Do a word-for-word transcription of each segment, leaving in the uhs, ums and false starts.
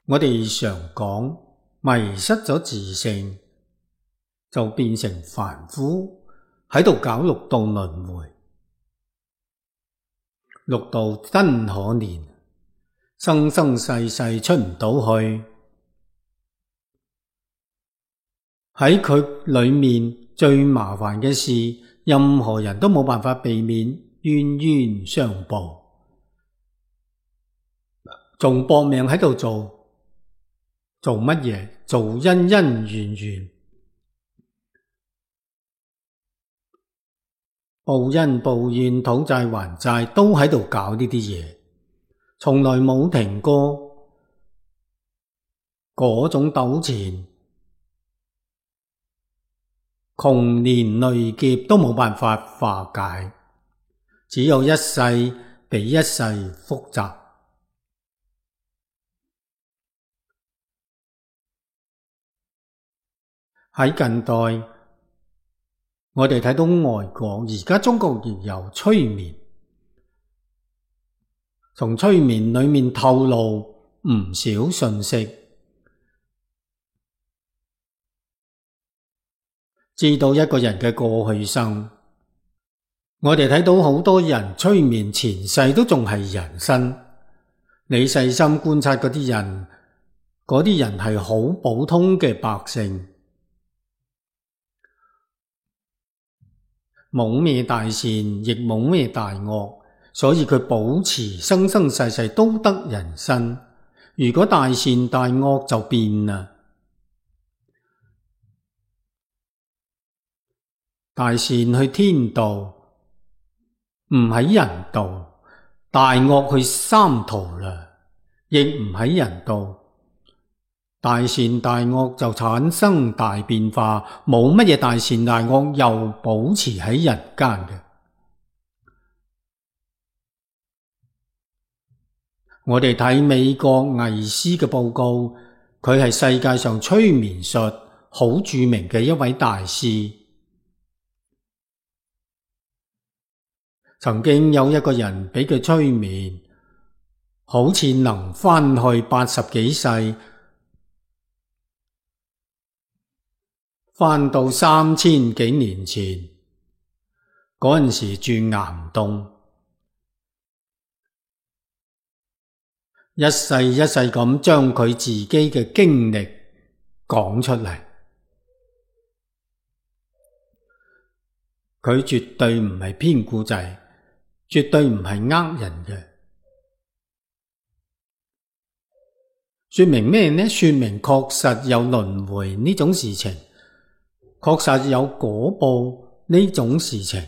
我哋常講迷失咗自性，就變成凡夫喺度搞六道輪迴。六道真可憐，生生世世出唔到去。喺佢裏面最麻煩嘅事，任何人都冇辦法避免冤冤相報，仲搏命喺度做。做乜嘢？做恩恩怨怨，報恩報怨，討債還債，都喺度搞呢啲嘢，從來冇停過。嗰種糾纏，窮年累劫都冇辦法化解，只有一世比一世複雜。喺近代，我哋睇到外國，而家中國亦有催眠，從催眠裏面透露唔少信息，知道一個人嘅過去生。我哋睇到好多人催眠前世都仲係人身，你細心觀察嗰啲人，嗰啲人係好普通嘅百姓，冇咩大善，亦冇咩大惡，所以佢保持生生世世都得人身。如果大善大惡就變啦，大善去天道，唔喺人道；大惡去三途啦，亦唔喺人道。大善大惡就產生大變化，冇乜嘢大善大惡又保持喺人間嘅。我哋睇美國魏斯嘅報告，佢係世界上催眠術好著名嘅一位大師。曾經有一個人俾佢催眠，好似能返去八十幾世，返到三千幾年前，嗰陣時住岩洞，一世一世咁將佢自己嘅經歷講出嚟。佢絕對唔係編故仔，絕對唔係呃人嘅。說明咩呢？說明確實有輪迴呢種事情，確實有果報呢種事情。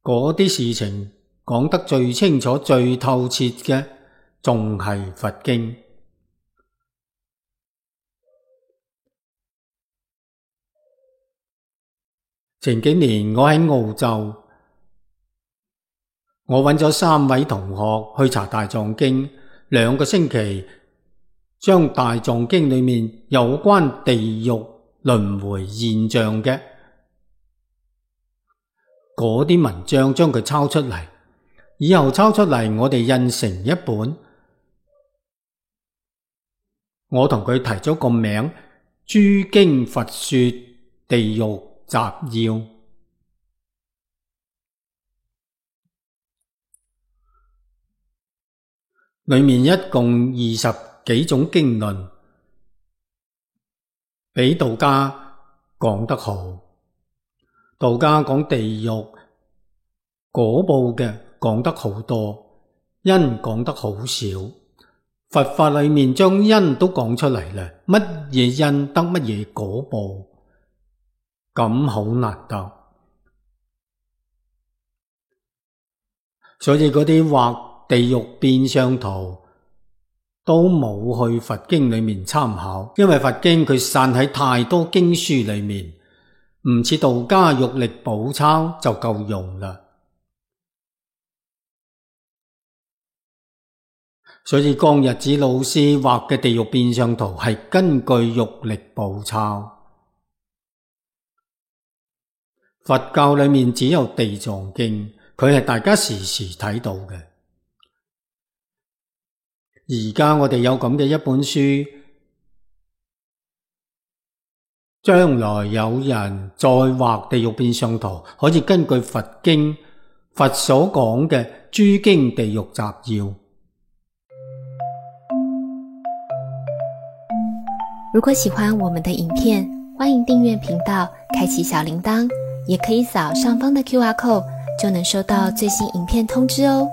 嗰啲事情講得最清楚最透徹嘅，仲係佛經。前幾年我喺澳洲，我揾咗三位同學去查大藏經，兩個星期將大藏經裏面有關地獄輪迴現象嘅嗰啲文章將佢抄出嚟，以後抄出嚟我哋印成一本。我同佢提咗個名，諸經佛說地獄集要。裏面一共二十幾種經論，比道家講得好。道家講地獄果報嘅講得好多，因講得好少。佛法裏面將因都講出嚟啦，乜嘢因得乜嘢果報，咁好難得。所以嗰啲畫地獄變相圖都冇去佛經裏面參考，因為佛經佢散喺太多經書裏面，唔似道家玉力寶抄就夠用啦。所以江日子老師畫嘅地獄變相圖係根據玉力寶抄。佛教裏面只有地藏經，佢係大家時時睇到嘅。而家我哋有咁嘅一本書，將來有人再畫地獄變相圖，可以根據佛經佛所講嘅諸經地獄集要。如果喜歡我們的影片，歡迎訂閱頻道，開啟小鈴鐺，也可以掃上方的 Q R code，就能收到最新影片通知哦。